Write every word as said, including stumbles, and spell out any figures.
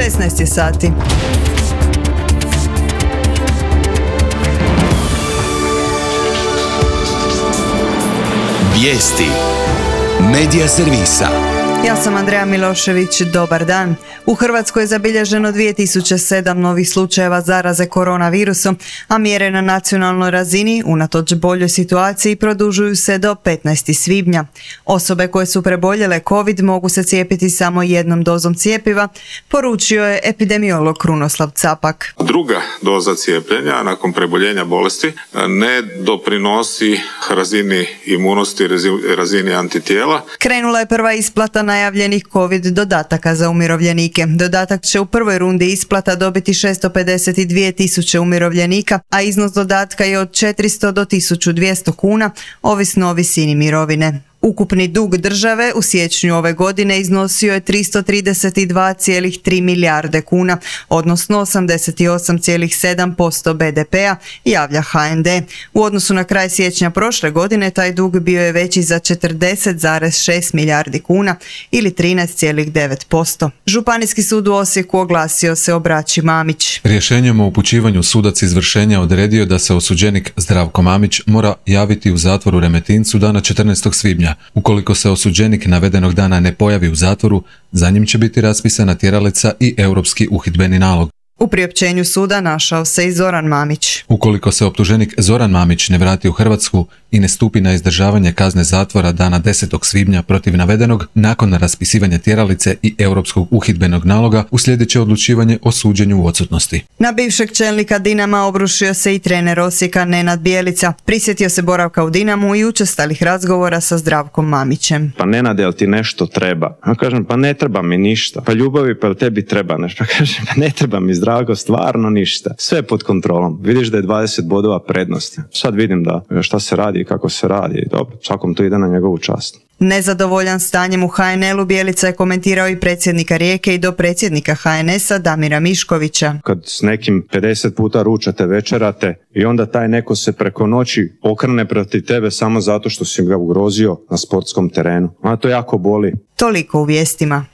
šesnaest je sati. Vijesti Medija servisa. Ja sam Andreja Milošević, dobar dan. U Hrvatskoj je zabilježeno dvije tisuće sedam novih slučajeva zaraze koronavirusom, a mjere na nacionalnoj razini, unatoč boljoj situaciji, produžuju se do petnaestog svibnja. Osobe koje su preboljele COVID mogu se cijepiti samo jednom dozom cjepiva, poručio je epidemiolog Krunoslav Capak. Druga doza cijepljenja nakon preboljenja bolesti ne doprinosi razini imunosti, razini antitijela. Krenula je prva isplata najavljenih COVID dodataka za umirovljenike. Dodatak će u prvoj rundi isplata dobiti šesto pedeset dvije tisuće umirovljenika, a iznos dodatka je od četiristo do tisuću dvjesto kuna, ovisno o visini mirovine. Ukupni dug države u siječnju ove godine iznosio je tristo trideset dva zarez tri milijarde kuna, odnosno osamdeset osam zarez sedam posto be de pea, javlja ha en de. U odnosu na kraj siječnja prošle godine taj dug bio je veći za četrdeset zarez šest milijardi kuna ili trinaest zarez devet posto. Županijski sud u Osijeku oglasio se o braći Mamić. Rješenjem o upućivanju sudac izvršenja odredio da se osuđenik Zdravko Mamić mora javiti u zatvor u Remetincu dana četrnaestog svibnja. Ukoliko se osuđenik navedenog dana ne pojavi u zatvoru, za njim će biti raspisana tjeralica i europski uhidbeni nalog. U priopćenju suda našao se i Zoran Mamić. Ukoliko se optuženik Zoran Mamić ne vrati u Hrvatsku i ne stupi na izdržavanje kazne zatvora dana desetog svibnja protiv navedenog, nakon raspisivanja tjeralice i europskog uhidbenog naloga uslijedit će odlučivanje o suđenju u odsutnosti. Na bivšeg čelnika Dinama obrušio se i trener Osijeka Nenad Bjelica. Prisjetio se boravka u Dinamu i učestalih razgovora sa Zdravkom Mamićem. Pa Nenade, jel ti nešto treba? Ja kažem, pa ne treba mi ništa. Pa ljubavi, pa jel tebi treba nešto? Pa kažem, pa ne treba mi Zdravko, stvarno ništa. Sve je pod kontrolom. Vidiš da je dvadeset bodova prednosti. Sad vidim da šta se radi i kako se radi. Dobro, svakom to ide na njegovu čast. Nezadovoljan stanjem u ha en el u Bjelica je komentirao i predsjednika Rijeke i dopredsjednika ha en esa Damira Miškovića. Kad s nekim pedeset puta ručate, večerate i onda taj neko se preko noći okrene protiv tebe samo zato što si ga ugrozio na sportskom terenu. A to jako boli. Toliko u vijestima.